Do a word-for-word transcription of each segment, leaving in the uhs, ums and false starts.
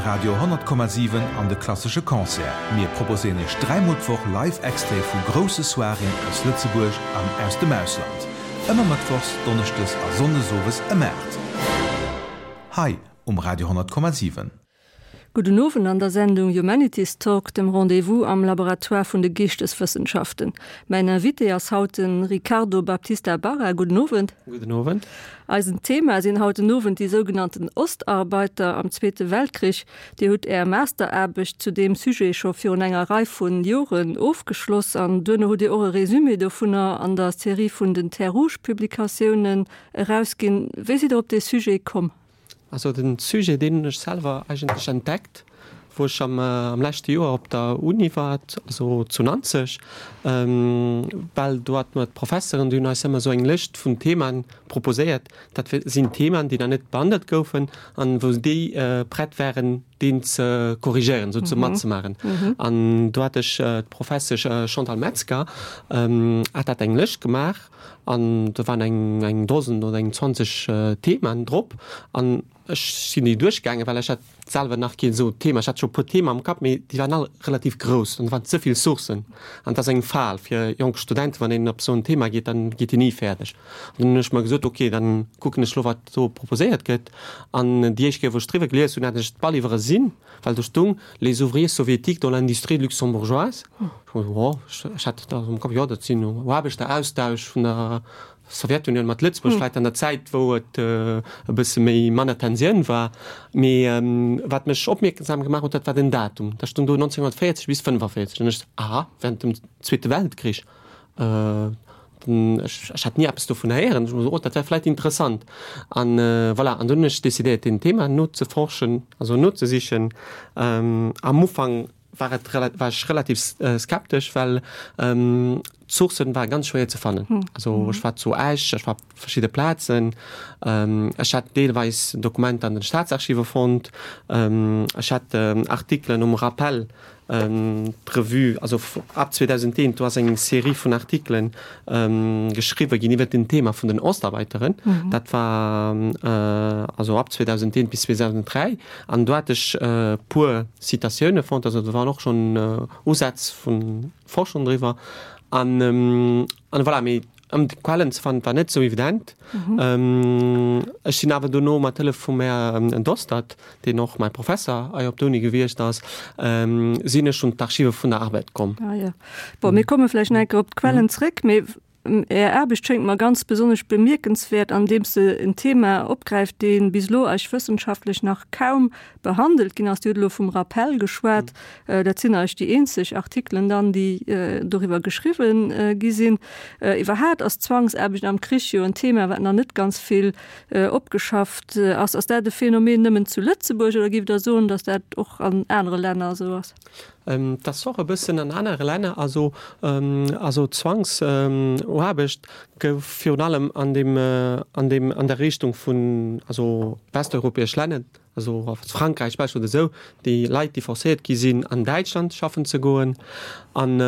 Radio honnert Komma siwen an de Klassesche Concert. Mir proposéieren Iech dräimol d'Woch live Extraite vu grousse Soiréeën aus Lëtzebuerg an aus dem Ausland. Ëmmer mëttwochs, donneschdes a sonndes owes ëm aacht. Hei um Radio honnert Komma siwen. Gudden Owend an der Sendung Humanities Talk, dem Rendez-vous am Laboratoire vun de Geeschteswëssenschaften. Mäin Invité ass haut den Ricardo Baptista Barra. Gudden Owend. Gudden Owend. Eisen Thema sinn haut den Owend déi sougenannten Ostarbeiter am Zweete Weltkrich. Dir hutt Är Masteraarbecht zu deem Sujet scho virun enger Rei vun Joren ofgeschloss an duerno hutt Dir och e Resumé dovunner an der Serie vun den Terres Rouges Publikatiounen erausginn. Wéi sidd Der op dee Sujet komm? Also den Sujet, deen hunn ech selwer eigentlech entdeckt, wou ech am, am leschte Joer op der Uni war, also zu Nanzeg, well do hat mer d'Professeren, déi hunn eis ëmmer esou eng Lëscht vun Themaen proposéiert. Dat sinn Themaen, déi nach net behandelt goufen an wou déi prett wären, deen ze korrigéieren, sou ze matzemaachen. An do hat ech d'Professesch Chantal Metzger hat dat eng Lëscht gemaach an do waren eng eng Dosen oder eng zwanzeg Themaen drop an ech sinn déi duerchgaangen, well ech hat selwer nach keen esou Thema. Ech hat scho e puer Thema am Kapp, mee déi waren all relativ grouss an do waren ze vill Sourcen an dat ass eng Fal fir jonk Studenten, wann een op esou en Thema geet, dann geet een ni fäerdeg. An dann hunn ech mer gesot, ok, dann kucken ech elo wat do proposéiert gëtt an déi éischt Kéier wou ech driwwer gelies hunn, hat ech et bal iwwersinn, well do stung Les ouvriers soviétiques dans l'industrie luxembourgeoise. Ech hu jo, ech hat dat am Kapp, jo dat sinn Aarbechteraustausch vun der Sowjetunioun mat Lëtzebuerg, vläicht an der Zäit wou et e bësse méi manner Tensioun war. Mee wat mech opmierksam gemaach huet, dat war den Datum. Da stung do nonzénghonnertvéierzeg bis fënnefaféierzeg an ech, aha, während dem Zweete Weltkrich. Ech, ech hat ni eppes dovun héieren. Ech hu gesot, oh, dat wär vläicht interessant. An voilà, an dunn hunn ech decidéiert, deen Thema nozeforschen, also nozesichen. Am Ufank war et war ech relativ skeptesch, well d'Sourcen ware ganz schwéier ze fannen. Also ech war zu Esch, ech war op verschidde Plazen, ech hat deelweis Dokumenter an den Staatsarchive fonnt, ech hat Artikelen um Rappel, d'Revue, also ab zweedausendeent, do ass eng Serie vun Artikelen geschriwwe ginn iwwert den Thema vun den Ostarbeiteren. Dat war also ab zweedausendeent bis zweedausenddräi an do hat ech e puer Citatioune fonnt, also do waren och schonn Usätz vu Forschung driwwer. An an voilà, mee ëm d'Quellen ze fannen, war net esou evident. Ech sinn awer dono mat Hëllef vum Här Dostert, deen och mäi Professer hei op der Uni gewiescht ass, sinn ech un d'Archive vun der Arbed komm. Ah jo. Bon, mir komme vläicht nach eng Kéier op d'Quellen zréck, mee Är Aarbecht schéngt mer ganz besonnesch bemierkenswäert, andeems se en Thema opgräift, dee bis elo eis wëssenschaftlech nach kaum behandelt ginn ass. Dir hutt elo vum Rappel geschwat. Dat sinn eigentlech déi eenzeg Artikelen dann, déi doriwwer geschriwwen gi sinn. Iwwerhaapt ass d'Zwangsaarbecht am Krich jo en Thema, wat nach net ganz vill opgeschafft ass. Ass dat e Phänomen nëmmen zu Lëtzebuerg oder géift Der soen, datt dat och an anere Länner esou ass? Dat ass och e bëssen an anere Länner. Also, also Zwangsaarbecht gouf virun allem an deem, an deem, an der Richtung vun, also westeuropäesch Länner, also Frankräich, Belsch oder esou, déi Leit, déi forcéiert gi sinn, an Däitschland schaffen ze goen. An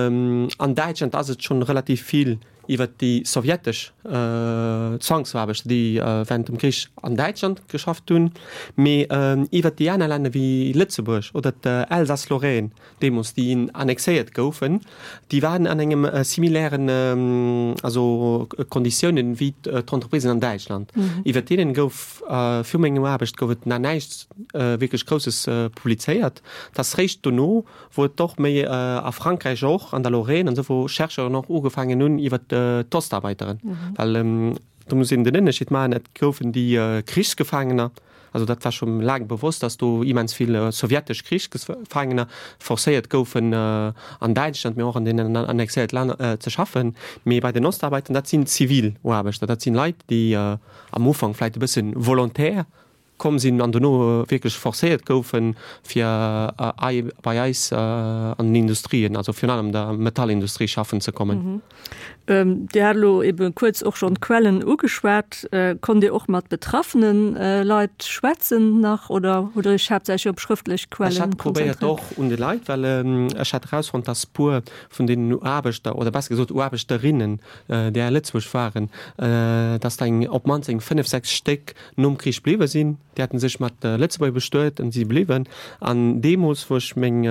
an Däitschland ass et schonn relativ vill iwwert déi sowjetesch Zwangsaarbechter, déi während dem Krich an Däitschland geschafft hunn, mee iwwert déi aner Länner wéi Lëtzebuerg oder d'Elsass-Lorraine deemools, déi annexéiert goufen, déi waren an engem similairen, also Konditiounen wéi d'Entreprisen an Däitschland. Iwwert deenen gouf viru mengem Aarbecht gouf et nach näischt wierklech Grousses publizéiert. Et ass réischt dono, wou et och méi a Frankräich och, an der Lorraine an esou, wou Chercheuren och ugefaangen hunn iwwer d'Ostarbeiteren, well do muss een den Ënnerscheed maachen, et goufen déi Krichsgefaangener, also dat war scho laang bewosst, datt do immens vill sowjetesch Krichsgefaangener forcéiert goufen an Däitschland, mee och an deenen annexéierte Länner ze schaffen. Mee bei den Ostarbeiteren, dat sinn zivil Aarbechter, dat sinn Leit, déi am Ufank vläicht e bësse volontaire komm sinn an dono wierklech forcéiert goufen, fir bei eis an den Industrien, also virun allem der Metallindustrie schaffen ze kommen. Dir hat elo ebe kuerz och schonn d'Quellen ugeschwat. Konnt Dir och mat betraffene Leit schwätzen nach oder hutt Der Iech haaptsächlech op schrëftlech Quellen konzentréiert? Ech hat probéiert och un de Leit, well ech hat erausfonnt, dass puer vun deenen Aarbechter, oder besser gesot Aarbechterinnen, déi a Lëtzebuerg waren, dass der eng op d'mannst eng fënnef, sechs Stéck nom Krich bliwwe sinn, déi haten sech mat Lëtzebuerger bestuet an si bliwwen. An deemools, wou ech meng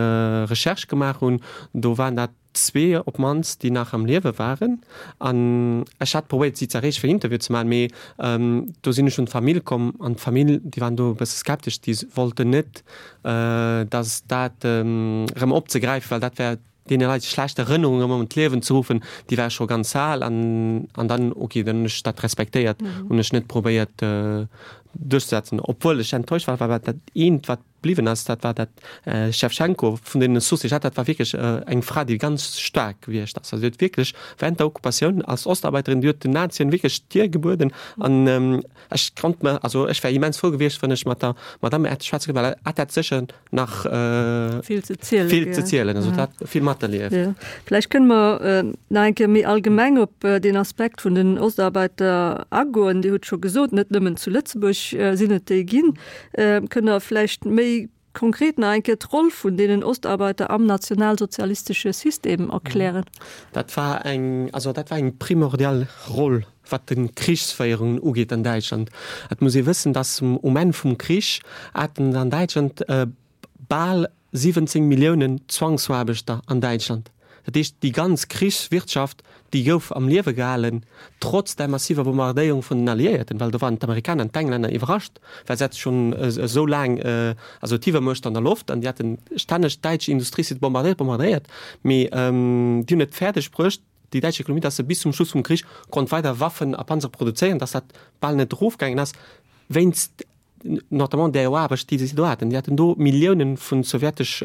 Recherche gemaach hunn, do waren dat zwee op d'mannst, déi nach am Liewe waren. An ech hat probéiert, si ze erreechen, fir en Interview ze maachen, mee do sinn ech un d'Famill komm an d'Famill, déi waren do e bësse skeptesch, déi wollten net, datt dat erëm opzegräifen, well dat wär deene Leit schlecht Erënnerungen erëm an d'Liewen ze ruffen, déi ware scho ganz al. An an dann, okay, dann hunn ech dat respektéiert, hunn ech net probéiert duerchzesetzen, obwuel ech enttäuscht war, well dat eent, wat bliwwen ass, dat war dat Schewtschenko vun deenen Sourcë, déi ech hat, dat war wierklech eng Fra, déi ganz staark gewiescht ass. Also déi huet wierklech während der Okkupatioun als Ostarbeiterin, déi huet den Nazien wierklech d'Dier gebueden. An ech konnt mer, also ech wär immens frou gewiescht, wann ech mat der Madame hätt schwätze kënnen, well hatt hätt sécher nach vill ze zielen, vill ze zielen, also hatt hat vill materlieft. Jo. Vläicht kënne mer nach eng Kéier méi allgemeng op deen Aspekt vun den Ostarbeiter agoen. Dir hutt scho gesot, net nëmmen zu Lëtzebuerg sinn et déi ginn. Kënnt Der vläicht méi konkret nach eng Kéier d'Roll vun deenen Ostarbeiter am nationalsozialistesche System erklären? Dat war eng, also dat war eng primordial Roll, wat de Krichsféierungen ugeet an Däitschland. Et muss ee wëssen, dass um Enn vum Krich haten an Däitschland bal siwwenzéng Milliounen Zwangsaarbechter an Däitschland. Dat heescht, déi ganz Krichswirtschaft, déi gouf am Liewe gehalen, trotz där massiver Bombardéierung vun den Alliéierten, well do waren d'Amerikaner an d'Englänner iwwerrascht, well se hate schonn esou laang, also d'Iwwermuecht an der Loft, an déi haten stänneg d'däitsch Industriesite bombardéiert, bombardéiert, mee déi hunn et fäerdeg bruecht, déi däitsch Ekonomie, datt se bis zum Schluss vum Krich konnt weider Waffen a Panzer produzéieren, datt dat bal net erofgaangen ass, wéinst notamment där Aarbecht, déi se do haten. Déi haten do Milliounen vu sowjetesch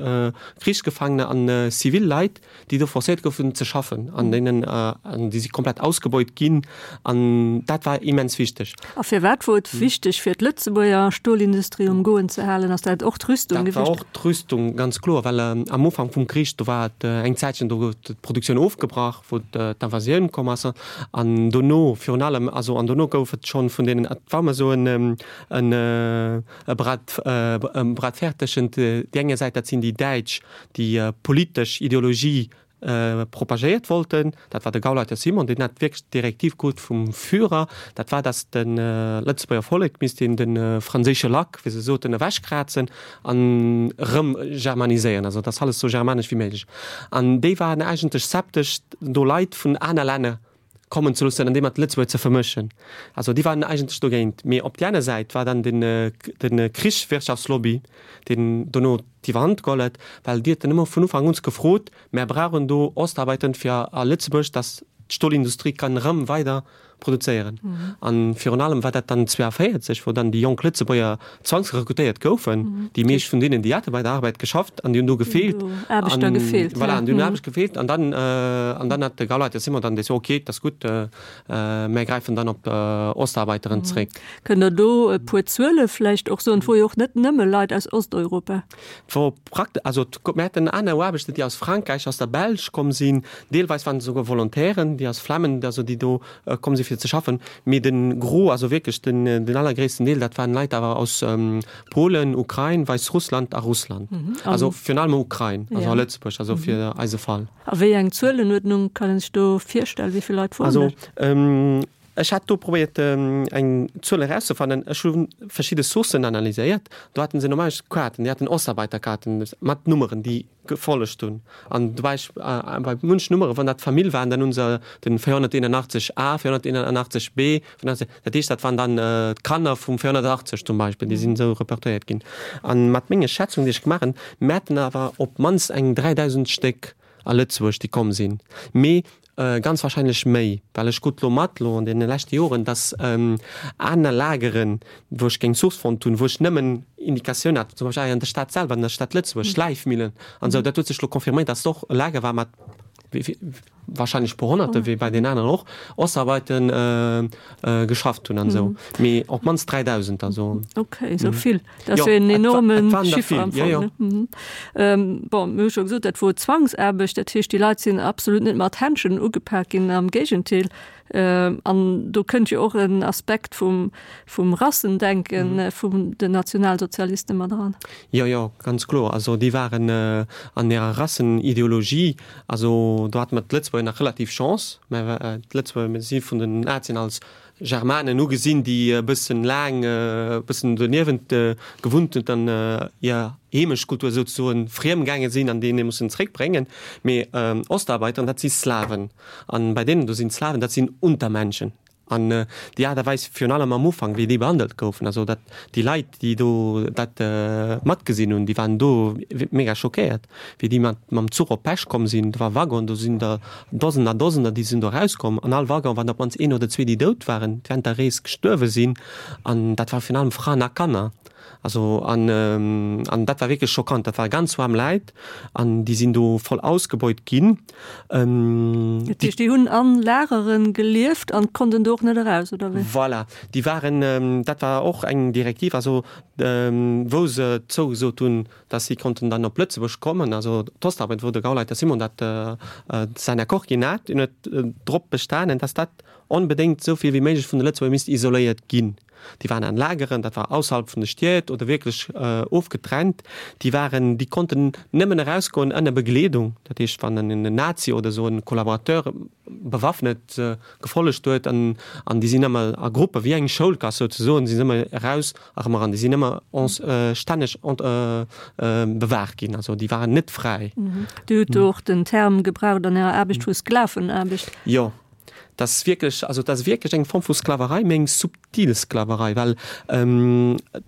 Krichsgefaangener an zivil Leit, déi do forcéiert goufen ze schaffen, an deenen, an déi si komplett ausgebeut ginn. An dat war immens wichteg. A firwat wor et wichteg fir d'Lëtzebuerger Stolindustrie um Goen ze halen? Ass dat och d'Rüstung gewiescht? Dat war och d'Rüstung, ganz kloer, well am Ufank vum Krich, do war et eng Zäitchen, do gouf d'Produktioun ofgebrach, wou d'Invasioun komm ass. An dono virun allem, also an dono gouf et schonn vun deenen, et war ëmmer esou en, en e Bras, e Bras de fer tëschent déi enger Säit, dat sinn déi Däitsch, déi politesch Ideologie propagéiert wollten, dat war de Gauleiter Simon, deen hat wierklech d'Direktiv krut vum Führer, dat war, datt de Lëtzebuerger Vollek misst een de franséische Lack, wéi se soten, ewechkrazen an erëm germaniséieren, also datt alles esou germanesch wéi méiglech. An déi waren eigentlech skeptesch, do Leit vun aner Länner kommen ze loossen an déi mat Lëtzebuerg ze vermëschen. Also déi waren eigentlech dogéint. Mee op déi aner Säit war dann den, de Krichswirtschaftslobby, deen dono d'Iwwerhand geholl huet, well déi huet dann ëmmer vun Ufank un gefrot, Mär brauchen do Ostarbeitern fir a Lëtzebuerg, dass d'Stolindustrie kann erëm weider produzéieren. An virun allem war dat dann zwouavéierzeg, wou dann déi jonk Lëtzebuerger zwangsrekrutéiert goufen. Déi meescht vun deenen, déi hate bei der Arbeit geschafft an déi hunn do gefeelt. Aarbechter gefeelt. Voilà, an déi hunn Aarbecht gefeelt. An dann, an dann hat de Gauleiter Simon dann gesot, okay, dat ass gutt, mär gräifen dann op Ostarbeiteren zréck. Kënnt Der do e puer Zuele vläicht och soen? Et wor jo och net nëmme Leit aus Osteuropa. Et wor praktesch, also mir haten aner Aarbechter, déi aus Frankräich, aus der Belsch komm sinn, deelweis waren et esouguer Volontairen, déi aus Flammen, also déi do komm sinn, fir ze schaffen. Mee de Gros, also wierklech den, den allergréissten Deel, dat waren Leit awer aus Polen, Ukrain, Wäissrussland a Russland. Also virun allem Ukrain, also a Lëtzebuerg, also fir eise Fall. A wéi eng Zuelenuerdnung kann een sech do virstellen? Wéi vill Leit woren Also dat? ech hat do probéiert eng Zuel erauszefannen. Ech hu verschidde Sourcen analyséiert. Do haten se normalerweis Kaarten, déi haten Ostarbeiterkaarten mat Nummeren, déi gefollegt hunn. An do war ech bei munch Nummeren, wann dat Famill waren, dann hu se den véierhonnerteenundachtzeg A, véierhonnerteenundachtzeg B, dat heescht, dat waren dann d'Kanner vum véierhonnertachtzeg zum Beispill, déi sinn esou repertoriéiert ginn. An mat menge Schätzungen, déi ech gemaach hunn, mir haten awer op d'mannst eng dräidausend Stéck a Lëtzebuerg, déi komm sinn. Mee Ganz wahrscheinlech méi, well ech krut lo mat, lo an deene leschte Joren, dass aner Lageren, wou ech keng Source fonnt hunn, wou ech nëmmen Indikatioun hat, zum Beispill hei an der Stad selwer, an der Stad Lëtzebuerg, Schläifmillen an esou, dat huet sech lo confirméiert, dass et och e Lager war mat wahrscheinlech e puer Honnerte, wéi bei deenen aneren och, Ostarbeiten geschafft hunn an esou. Mee op d'mannst dräidausend, also. Okay, esou vill. Dat ass jo en enorme Chiffer am Fong, ne? Bon, mir hu scho gesot, dat wor Zwangsaarbecht, dat heescht, déi Leit sinn absolut net mat Händschen ugepak ginn, am Géigentéel. An do kënnt jo och en Aspekt vum, vum Rassendenke vun den Nationalsozialiste mat eran. Jo, jo, ganz kloer. Also déi waren an hirer Rassenideologie, also do hate mer d'Lëtzebuerger d'Lëtzebuerger nach relativ Chance, mä d'Lëtzebuerger si vun den Nazien als Germanen ugesinn, déi e bëssen laang, e bëssen doniewent gewunnt hunn an hir Heemechtkultur souzesoen friem gaange sinn an déi een mussen zréckbréngen. Mee Ostarbeiteren, dat si Slawen. An bei deenen do sinn d'Slawen, dat sinn Untermenschen. An déi Aart a Weis, virun allem am Ufank, wéi déi behandelt goufen, also dat déi Leit, déi do dat matgesinn hunn, déi waren do mega schockéiert, wéi déi mat mam Zuch op Pech komm sinn. Do war Waggon, do sinn der Dosener a Dosener, déi sinn do erauskomm. An all Waggon waren op d'mannst een oder zwee, déi dout waren, während der Rees gestuerwe sinn. An dat war virun allem Fraen a Kanner. Also an an dat war wierklech schockant. Dat ware ganz waarm Läit an déi sinn do voll ausgebeut ginn. Dat heescht, déi hunn a Lagere gelieft an konnten do och net eraus, oder wéi? Voilà, déi waren, dat war och eng Direktiv, also wou se zougesot hunn, datt si konnten dann op Lëtzebuerg kommen, also d'Ostarbeiter, wou de Gauleiter Simon dat säin Accord ginn hat, deen huet drop bestanen, datt dat onbedéngt esou vill wéi méiglech vun de Lëtzebuerger misst isoléiert ginn. Déi waren an Lageren, dat war ausserhalb vun de Stied oder wierklech ofgetrennt. Déi waren, déi konnten nëmmen erausgoen ënner Begleedung. Dat heescht, wann en Nazi oder esou e Collaborateur bewaffnet gefollegt huet an, an déi sinn ëmmer a Gruppe wéi eng Schoulklass souzesoen, si sinn ëmmer eraus a erëm eran. Déi sinn ëmmer stänneg bewaacht ginn. Also déi waren net fräi. Dir hutt do och den Term gebraucht an Ärer Aarbecht vu Sklavenaarbecht. Jo. Dat ass wierklech, also dat ass wierklech eng Form vu Sklaverei, mee eng subtil Sklaverei, well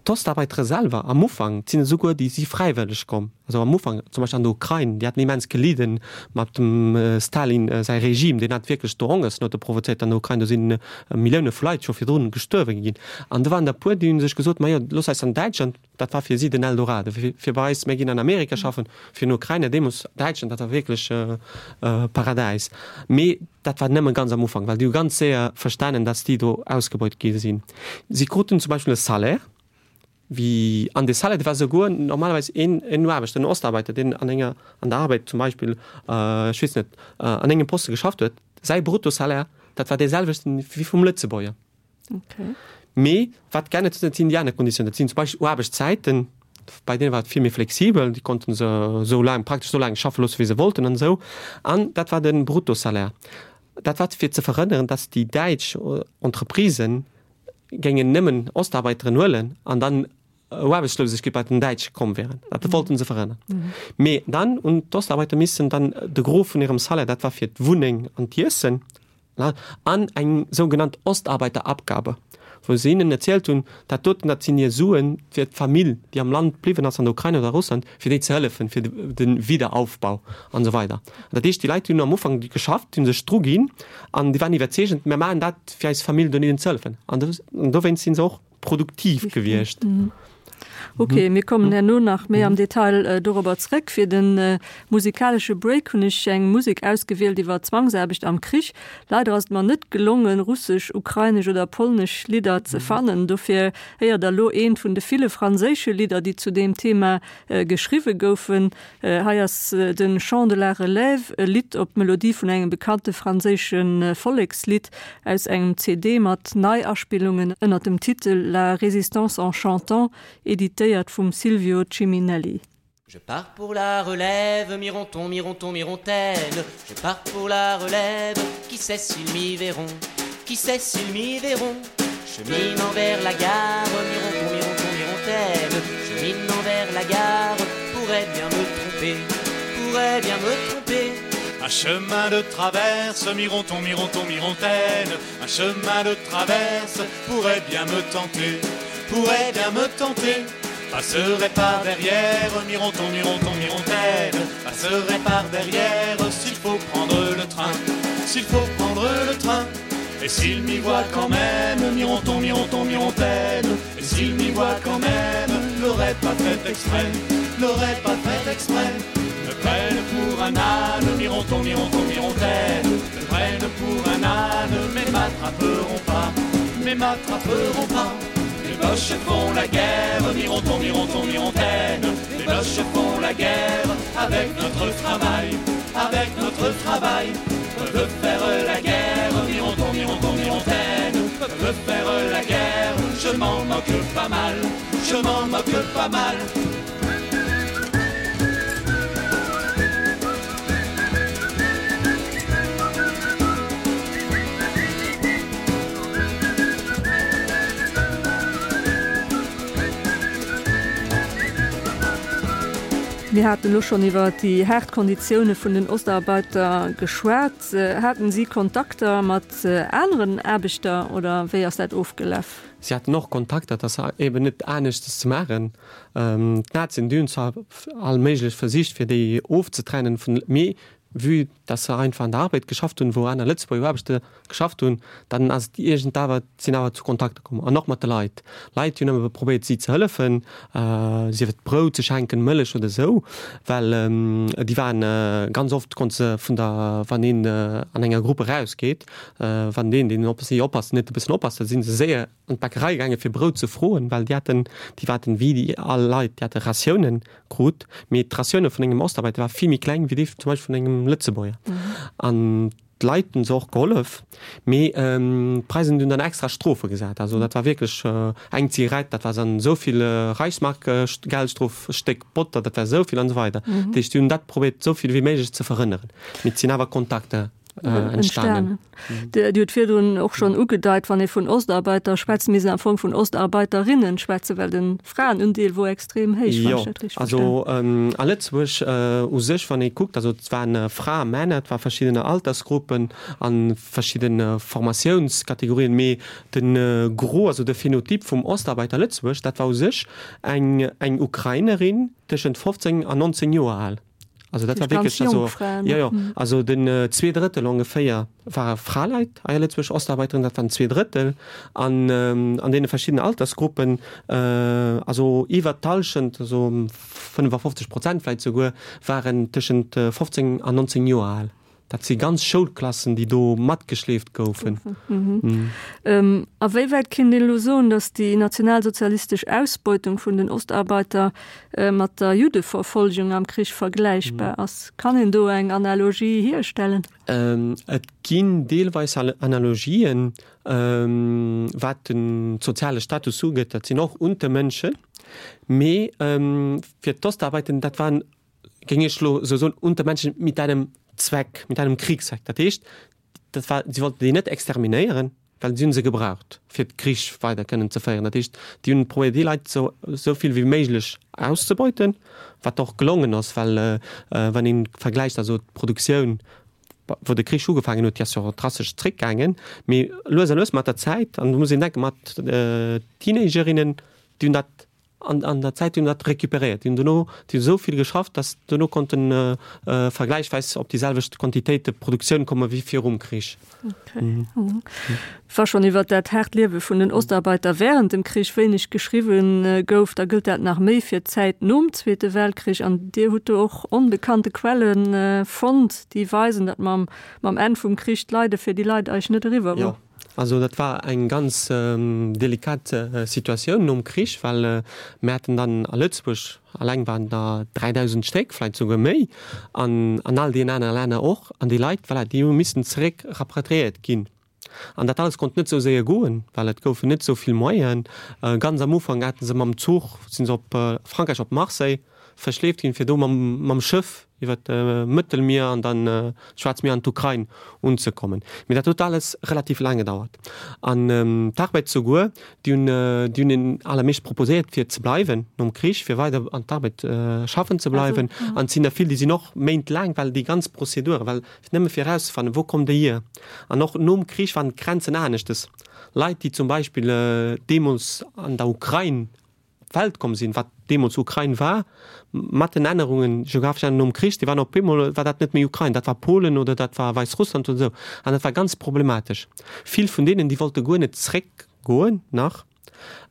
d'Ostarbeiter selwer am Ufank, et sinn esouguer déi si fräiwëlleg komm, also am Ufank zum Beispill an der Ukrain, déi haten immens gelidden mat dem Stalin säi Regime, deen hat wierklech do Hongersnoute provozéiert an der Ukrain, do si Millioune vu Leit scho virdrun gestuerwe ginn. An do waren der e puer, déi hu sech gesot, majo looss eis an Däitschland, dat war fir si den Eldorado, fir bei eis, mir ginn an Amerika schaffen, fir den Ukrainer deemools Däitschland, dat war wierklech Paradäis. Mee dat war nëmme ganz am Ufank, well déi hu ganz séier verstanen, dass déi do ausgebeut gi sinn. Si kruten zum Beispill e Salaire, wéi, an dee Salaire, dee war souguer normalerweis een, een Aarbechter, en Ostarbeiter, deen an enger, an der Arbeit zum Beispill, ech weess net, an engem Poste geschafft huet, säi Bruttosalaire, dat war dee selwechten wéi vum Lëtzebuerger. Okay. Mee wat geännert huet, dat sinn déi aner Konditiounen. Dat sinn zum Beispill Aarbechtszäiten, bei deene war et vill méi flexibel, déi konnte se esou laang, praktesch esou laang schaffe loosse wéi se wollten an esou. An dat war de Bruttosalaire. Dat war fir ze verhënneren, datt déi däitsch Entreprisen géingen nëmmen Ostarbeiteren huelen an dann Aarbechtslosegkeet bei den Däitsche komm wären. Dat wollten se verhënnern. Mee dann hunn d'Ostarbeiter missen dann de Gros vun hirem Salaire, dat war fir d'Wunneng an d'Iessen, an eng sougenannt Ostarbeiterabgabe, wou se hinnen erzielt hunn, dat doten, dat sinn hir Suen fir d'Famill, déi am Land bliwwen ass, an der Ukrain oder Russland, fir déi ze hëllefen, fir de Wiederaufbau an esou weider. An dat heescht, déi Leit, déi hunn am Ufank geschafft, déi hu sech druginn an déi waren iwwerzeegend, mir maachen dat, fir eis Famill dohinnen ze hëllefen. An dowéinst si se och produktiv gewiescht. Ok, mir kommen herno nach méi am Detail dorobber zréck. Fir de musikalesche Break hunn ech eng Musek ausgewielt iwwer Zwangsaarbecht am Krich. Leider ass et mer net gelongen, russesch, ukrainesch oder polnesch Lidder ze fannen. Dofir héiert der elo eent vun de ville franséische Lidder, déi zu deem Thema geschriwwe goufen. Hei ass de Chant de la Relève, e Lidd op d'Melodie vun engem bekannte franséische Vollekslidd aus engem C D mat Neiaspillungen ënner dem Titel La résistance en chantant, éditéiert vum Silvio Ciminelli. Je pars pour la relève, mironton, mironton, mirontaine. Je pars pour la relève, qui sait s'ils m'y verront, qui sait s'ils m'y verront. Cheminant vers la gare, mironton, mironton, mirontaine. Cheminant vers la gare, pourrait bien me tromper, pourrait bien me tromper. Un chemin de traverse, mironton, mironton, mirontaine. Un chemin de traverse pourrait bien me tenter, pourrait bien me tenter. Passerait par derrière, mironton, mironton, mirontaine. Passerait par derrière, s'il faut prendre le train, s'il faut prendre le train. Et s'il m'y voit quand même, mironton, mironton, mirontaine. Et s'il m'y voit quand même, l'aurait pas fait exprès, l'aurait pas fait exprès. Me prennent pour un âne, mironton, mironton, mirontaine. Me prennent pour un âne, mais m'attraperont pas, mais m'attraperont pas. Les boches font la guerre, mironton, mironton, mirontaine. Les boches font la guerre avec notre travail, avec notre travail. Peuvent faire la guerre, mironton, mironton, mirontaine. Peuvent faire la guerre, je m'en moque pas mal, je m'en moque pas mal. Mir haten elo schonn iwwer déi haart Konditioune vun den Ostarbeiter geschwat. Haten si Kontakter mat aneren Aarbechter oder wéi ass dat ofgelaf? Si haten och Kontakter, dat ass eben net aneschtes ze maachen. D'Nazien, déi hunn zwar all méiglech versicht, fir déi ofzetrennen vun, mee vue dass se einfach an der Arbed geschafft hunn, wou aner Lëtzebuerger Aarbechter geschafft hunn, dann ass et iergend awer, sinn awer zu Kontakter komm. An och mat de Leit. Leit, déi hunn ëmmer probéiert, si ze hëllefen, sief et Brout ze schenken, Mëllech oder esou, well déi waren ganz oft konnte se vun der, wann een an enger Grupp erausgeet, wann deen, deen op si oppasst, net e bëssen oppasst, da si se séier an d'Bäckerei gaange fir Brout ze froen, well déi haten, déi waten wéi déi all Leit, déi hate Ratiounen krut, mee d'Ratioune vun engem Ostarbeiter war vill méi kleng wéi déi zum Beispill vun engem Lëtzebuerger. An d'Leit hunn se och gehollef, mee d'Preisen hunn dann extra Strofe gesat. Also dat war wierklech eng Zigarett, dat war dann esou vill Reichsmark Geldstrof, e Stéck Botter, dat war esou vill an esou weider. Dat heescht, déi hunn dat probéiert esou vill wéi méiglech ze verhënneren. Mee et sinn awer Kontakter entstanen. Dir hutt virdrun och schonn ugedeit, wann ee vun Ostarbeiter schwätzt, misst een am Fong vun Ostarbeiterinnen schwätzen, well de Fraenundeel wor extrem héich, wann ech dat richteg verstinn. Jo, also a Lëtzebuerg u sech, wann ee kuckt, also et waren Frae, Männer, et war verschidden Altersgruppen a verschidde Formatiounskategorien, mee de Gros, also de Phänotyp vum Ostarbeiter Lëtzebuerg, dat war u sech eng eng Ukrainerin tëschent fofzéng an nonzéng Joer al. Also dat war wierklech, also jo, jo, also den zwee Drëttel ongeféier ware Fraleit hei a Lëtzebuerg, Ostarbeiteren, dat waren zwee Drëttel an an deene verschiddenen Altersgruppen, also iwwert d'Hallschent, also fënnefafofzeg Prozent vläicht souguer, waren tëschent fofzéng an nonzéng Joer al. Dat si ganz Schoulklassen, déi do matgeschleeft goufen. A wéi wäit kinnt een elo soen, datt déi nationalsozialistesch Ausbeutung vun den Ostarbeiter mat der Juddeverfolgung am Krich vergläichbar ass? Kann een do eng Analogie hierstellen? Et ginn deelweis Analogien, wat den soziale Status ugeet. Dat sinn och Untermenschen. Mee fir d'Ostarbeiter, dat waren, géing ech elo esou soen, Untermenschen mit einem Zweck, mit einem Kriegszweck. Dat heescht, dat war, si wollten déi net exterminéieren, well si hunn se gebraucht, fir d'Krich weider kënnen ze féieren. Dat heescht, déi hunn probéiert, déi Leit esou, esou vill wéi méiglech auszebeuten, wat och gelongen ass, well wann ee vergläicht, also d'Produktioun, wou de Krich ugefaangen huet, déi ass jo drastesch zréckgaangen, mee lues a lues mat der Zäit, an do muss een denken, mat Teenagerinnen, déi hunn dat An an der Zäit hunn dat récupéréiert. Déi hunn dono, déi hunn esou vill geschafft, datt dono konnten vergläichweis op déi selwecht Quantitéite Produktioun komme wéi virum Krich. Wa schonn iwwer dat haart Liewe vun den Ostarbeiter wärend dem Krich wéineg geschriwwen gouf, da gëllt dat nach méi fir d'Zäit nom Zweete Weltkrich. An Dir hutt do och onbekannte Quelle fonnt, déi weisen, datt mam mam Enn vum Krich d'Leide fir déi Leit eigentlech net eriwwer wor. Also dat war eng ganz delikat Situatioun nom Krich, well mir haten dann a Lëtzebuerg alleng waren der dräidausend Stéck, vläicht souguer méi, an an all deenen anere Länner och. An déi Leit, voilà, déi hu missen zeréck rapatriéiert ginn. An dat alles konnt net esou séier goen, well et goufen net esou vill Moyenen. Ganz am Ufank hate se mam Zuch, si se op Frankräich, op Marseille verschleeft ginn, fir do mam mam Schëff iwwer d'Mëttelmier an dann d'Schwaarzt Mier an d'Ukrain unzekommen. Mee dat huet alles relativ laang gedauert. An d'Arbed souguer, déi hunn déi hunn den allermeescht proposéiert fir ze bleiwen nom Krich, fir weider an d'Arbed schaffen ze bleiwen. An et sinn der vill, déi sinn och méintlaang, well déi ganz Prozedure, well nëmme fir erauszefannen, wou kommt déi hier. An och nom Krich waren d'Grenzen aneschtes. Leit, déi zum Beispill deemools an der Ukrain op d'Welt komm sinn, wat deemools Ukrain war, mat den Ännerungen, geographesch Ännerungen nom Krich, déi waren op eemol, war dat net méi Ukrain, dat war Polen oder dat war Wäissrussland oder esou. An dat war ganz problematesch. Vill vun deenen, déi wollte guer net zréckgoen nach.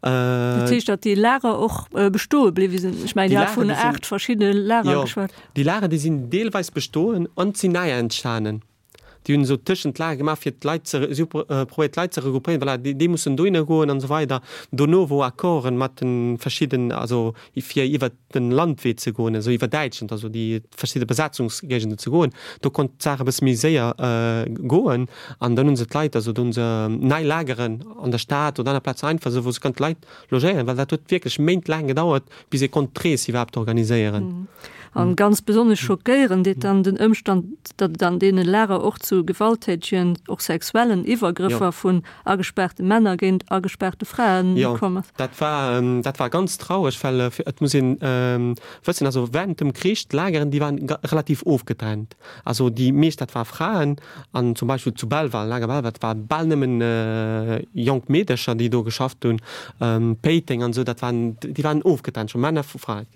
Dat heescht, datt déi Lager och bestoe bliwwe sinn? Ech mengen, Dir hat vun aacht verschiddene Lager geschwat. Jo, déi Lager, déi sinn deelweis bestoen an sinn nei entstanen. Déi hunn esou tëschent d'Lager gemaach, fir d'Leit ze, si hu probéiert d'Leit ze regroupéieren, voilà, déi, déi mussen dohinner goen an esou weider. Dono wou Accorden mat de verschidden, also fir iwwert de Landwee ze goen, also iwwer Däitschland, also déi verschidde Besatzungsgéigenden ze goen, do konnt d'Saach e bësse méi séier goen. An dann hu se d'Leit, also do hu se nei Lageren an der Stad oder aner Plazen einfach esou, wou se konnten d'Leit logéieren, well dat huet wierklech méintlaang gedauert, bis ee konnt d'Rees iwwerhaapt organiséieren. An ganz besonnesch schockéieren deet dann den Ëmstand, datt et an deene Lager och zu gewalttätegen, och sexuellen Iwwergrëffer vun agespaarte Männer géint agespaarte Fraen komm ass. Jo, dat war, dat war ganz traureg, well et muss een wëssen, also während dem Krich, d'Lageren, déi waren relativ ofgetrennt. Also déi meescht, dat war Fraen an zum Beispill zu Belval, Lager Belval, dat war bal nëmmen jonk Meedercher, déi do geschafft hunn, Péiteng an esou, dat waren, déi waren ofgetrennt scho, Männer vu Fraen.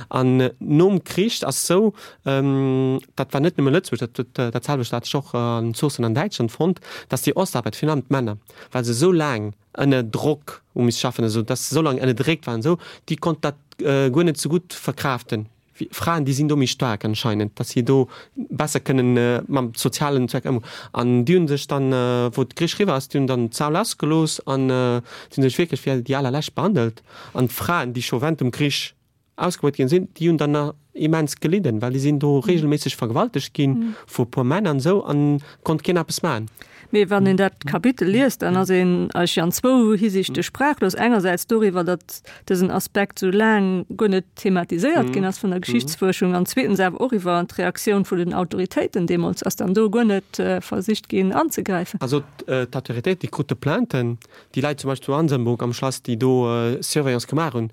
An nom Krich ass sou, dat war net nëmme Lëtzebuerg, dat dat selwecht hat ech och an Zoossen an Däitschland fonnt, datt déi Ostarbeit, virun allem d'Männer, well se esou laang ënner Drock hu misse schaffen, esou datt se esou laang ënnerdréckt waren, esou, déi konnten dat guer net esou gutt verkraaften. Fraen, déi sinn do méi staark anscheinend, datt si do besser kënnen mam sozialen Zweck ëmgoen. An déi hu sech dann, wou de Krich eriwwer ass, déi hunn dann d'Sau lassgelooss an si hunn sech wierklech wéi déi allerlescht behandelt. An d'Fraen, déi scho während dem Krich ausgebeut ginn sinn, déi hunn dann nach immens gelidden, well déi sinn do regelméisseg vergewaltegt ginn vu e puer Männer an esou an konnt keen eppes maachen. Mee wann een dat Kapitel liest, dann ass een eigentlech an zwou Hisiichte sprachlos. Engersäits doriwwer, datt dësen Aspekt sou laang guer net thematiséiert ginn ass vun der Geschichtsfuerschung, an zweetens awer och iwwer d'Reaktioun vun den Autoritéiten deemools. Ass dann do guer net versicht ginn anzegräifen? Also d'Autoritéiten, déi krute Plainten, déi Leit zum Beispill zu Ansembourg am Schlass, déi do Surveillance gemaach hunn,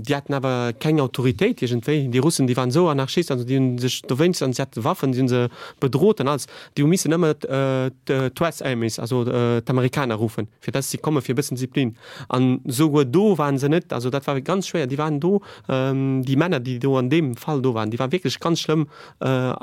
déi haten awer keng Autoritéit iergendwéi. Déi Russen, déi waren esou Anarchisten, also déi hu sech dowéinst, an si hate Waffen, si hu se bedrot an alles, déi hu missen ëmmer d'U S Armies, also d'Amerikaner ruffen, fir dass si komme fir e bëssen Disziplin. An souguer do waren se net, also dat war ganz schwéier, déi waren do, déi Männer, déi do an deem Fall do waren, déi waren wierklech ganz schlëmm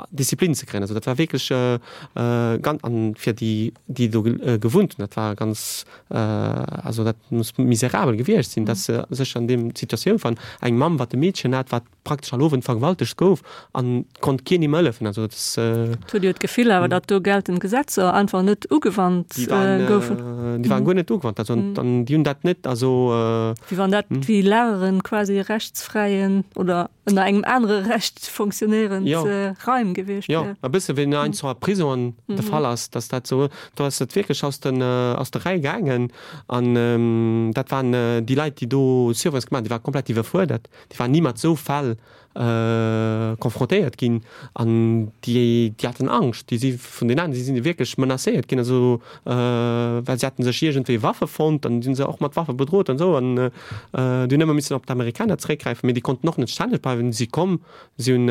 Disziplin ze kréien. Also dat war wierklech ganz, an fir déi, déi do gewunnt hunn, dat war ganz, also dat muss miserabel gewiescht sinn, dass se sech an deem Situatioun fannen, eng Mamm, wat e Meedchen hat, wat praktesch all Owend vergewaltegt gouf an konnt keen him hëllefen. Also dat ass. Et huet jo d'Gefill awer, datt do geltend Gesetzer einfach net ugewannt Déi waren, goufen. déi waren guer net ugewannt. Also an déi hunn dat net, also. Wéi wann dat wéi Lageren quasi rechtsfräien oder ënner engem anere Recht fonctionnéierend Raim gewiescht Jo, e bësse wéi an enger Prison de Fall ass, datt dat esou, do ass et wierklech aus den, aus der Rei gaangen an dat waren déi Leit, déi do Surveillance gemaach hunn, déi ware komplett iwwerfuerdert. Déi waren ni mat esou Fäll confrontéiert ginn an déi, déi haten Angscht. Déi si vun den aneren, déi si wierklech menacéiert ginn, also well si haten sech iergendwéi Waffe fonnt an si hu se och mat Waffe bedrot an esou an déi hunn ëmmer missen op d'Amerikaner zeréckgräifen, mee déi konnten och net stänneg bleiwen. Si komm, si hunn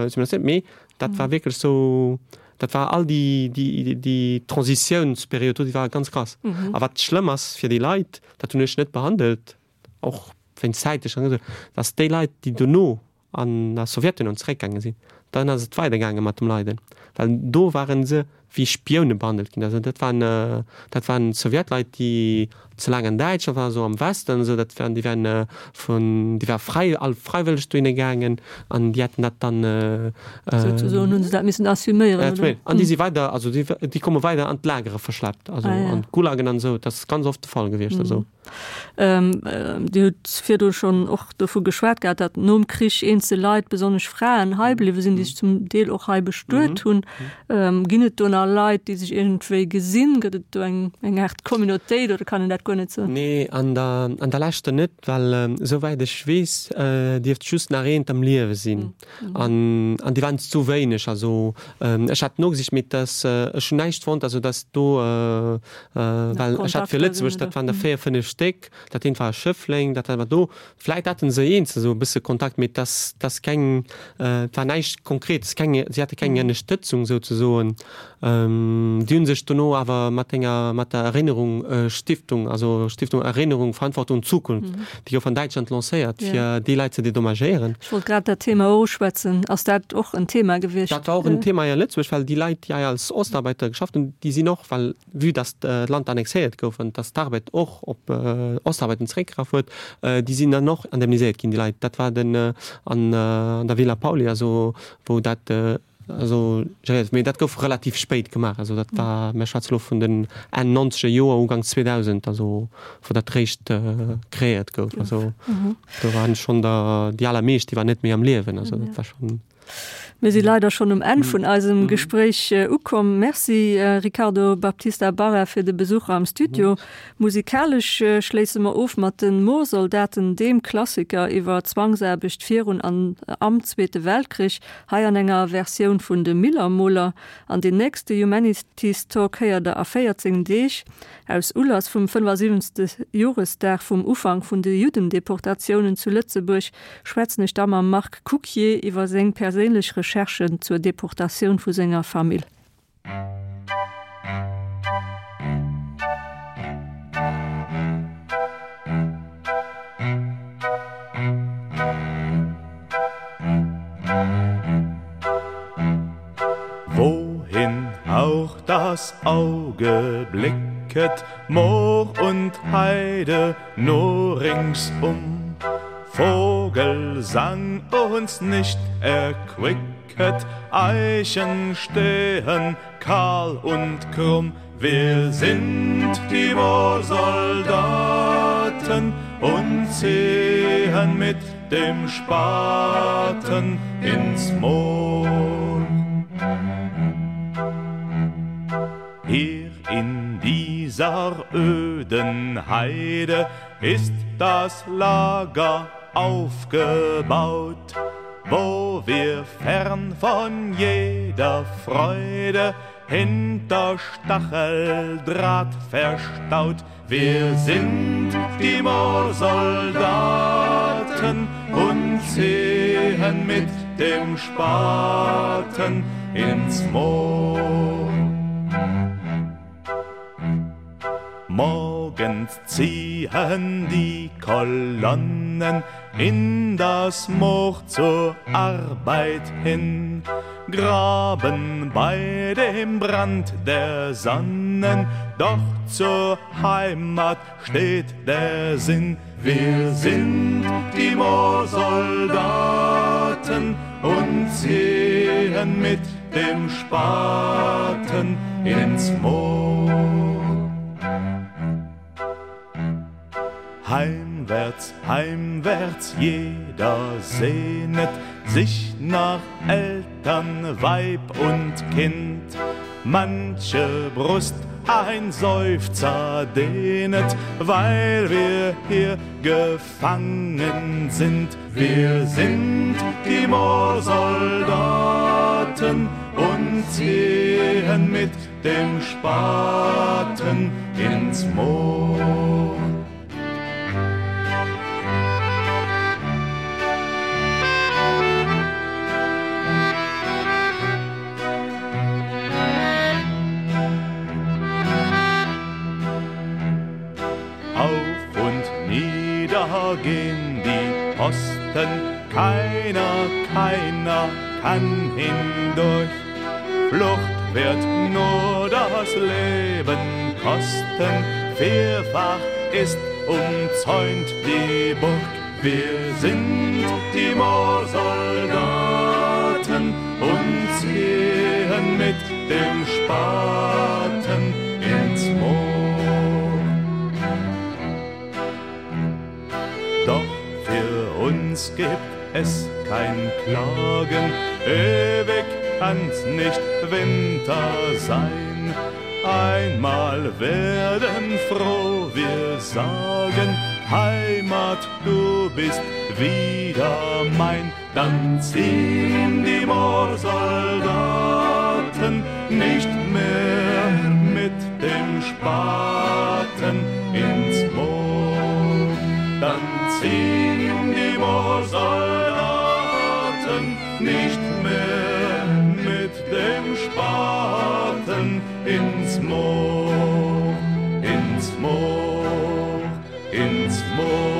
si menacéiert, mee dat war wierklech esou, dat war all déi, déi, déi Transitiounsperiod do, déi war ganz krass. A wat schlëmm ass fir déi Leit, dat hunn ech net behandelt, och wéinst zäitlech an esou, dass déi Leit, déi dono an der Sowjetunioun zeréckgaange sinn, dann ass et weidergaange mat dem Leiden, well do ware se wéi Spioune behandelt ginn. Also dat waren, dat waren Sowjetleit, déi ze laang an Däitschland waren, esou am Westen esou, dat waren, déi waren vun, déi ware fräi, all fräiwëlleg dohinne gaangen an déi hätten dat dann. Souzesoen hu se dat missen assuméieren, oder? An déi si weider, also déi, déi komme weider an d'Lagere verschleppt, also an d'Gulagen an esou, dat ass ganz oft de Fall gewiescht, also. Dir hutt virdu schonn och dovu geschwat gehat, datt nom Krich eenzel Leit, besonnesch Fraen, hei bliwwe sinn, déi sech zum Deel och hei bestuet hunn. Ginn et do nach Leit, déi sech iergendwéi gesinn? Gëtt et do eng eng Aart Communautéit oder kann een dat guer net soen? Nee, an der an der Leschter net, well esouwäit ech weess, dierft just nach eent am Liewe sinn. An an déi waren zu wéineg. Also ech hat nogesicht, mee et ass, ech hunn näischt fonnt, also datt do, well ech hat fir Lëtzebuerg, dat waren der véier, fënnef Stéck, dat eent war a Schëffleng, dat anert war do. Vläit haten se eenzel esou e bësse Kontakt, mee et ass, et ass keng, et war näischt Konkretes, keng, si hate keng Ënnerstëtzung souzesoen. Déi hu sech dono awer mat enger, mat der Erinnerung Stiftung, also Stiftung Erinnerung, Verantwortung und Zukunft, déi gouf an Däitschland lancéiert, fir déi Leit ze dedommagéieren. Ech wollt grad dat Thema och uschwätzen. Ass dat och en Thema gewiescht? Dat war och en Thema hei a Lëtzebuerg, well déi Leit, déi hei als Ostarbeiter geschafft hunn, déi sinn och, well vue dass d'Land annexéiert gouf an dass d'Arbed och op Ostarbeiten zeréckgegraff huet, déi sinn dann och indemniséiert ginn, déi Leit. Dat war den an der Villa Pauly, also wou dat also geréiert, mee dat gouf relativ spéit gemaach. Also dat war, mir schwätze lo vun den Enn nonzeger Joer, Uganks zweedausend, also wou dat réischt kreéiert gouf. Also do waren schonn der déi allermeescht, déi waren net méi am Liewen. Also dat war schonn. Mir si leider schonn um Enn vun eisem Gespréich ukomm. Merci Ricardo Baptista Barra fir de Besuch am Studio. Musikalesch schléisse mer of mat den Moorsoldaten, deem Klassiker iwwer Zwangsaarbecht virun an am Zweete Weltkrich, hei an enger Versioun vun de Millermoler. An den nächste Humanities Talk héiert der a véierzéng Deeg. Aus Ulass vum fënnefasiwwenzegste Joresdag vum Ufank vun de Juddendeportatiounen zu Lëtzebuerg schwätzen ech da mam Marc Cukier iwwer seng perséinlech Recherchen zur Deportatioun vu senger Famill. Wohin auch das Auge blicket, Moor und Heide nur ringsum. Vogelsang uns nicht erquicket, Eichen stehen kahl und krumm. Wir sind die Moorsoldaten und ziehen mit dem Spaten ins Moor. Hier in dieser öden Heide ist das Lager aufgebaut, wo wir fern von jeder Freude hinter Stacheldraht verstaut. Wir sind die Moorsoldaten und ziehen mit dem Spaten ins Moor. Morgens ziehen die Kolonnen in das Moor zur Arbeit hin, graben bei dem Brand der Sonnen, doch zur Heimat steht der Sinn. Wir sind die Moorsoldaten und ziehen mit dem Spaten ins Moor. Heimwärts, heimwärts, jeder sehnet sich nach Eltern, Weib und Kind. Manche Brust ein Seufzer dehnet, weil wir hier gefangen sind. Wir sind die Moorsoldaten und ziehen mit dem Spaten ins Moor. Auf und nieder gehen die Posten, keiner, keiner kann hindurch. Flucht wird nur das Leben kosten, vierfach ist umzäunt die Burg. Wir sind die Moorsoldaten und ziehen mit dem Spaten ins Moor. Doch für uns gibt es kein Klagen, ewig kann's nicht Winter sein. Einmal werden froh wir sagen, Heimat, du bist wieder mein. Dann ziehen die Moorsoldaten nicht mehr mit dem Spaten ins Moor. Dann ziehen die Moorsoldaten nicht mehr mit dem Spaten ins Moor, ins Moor, ins Moor.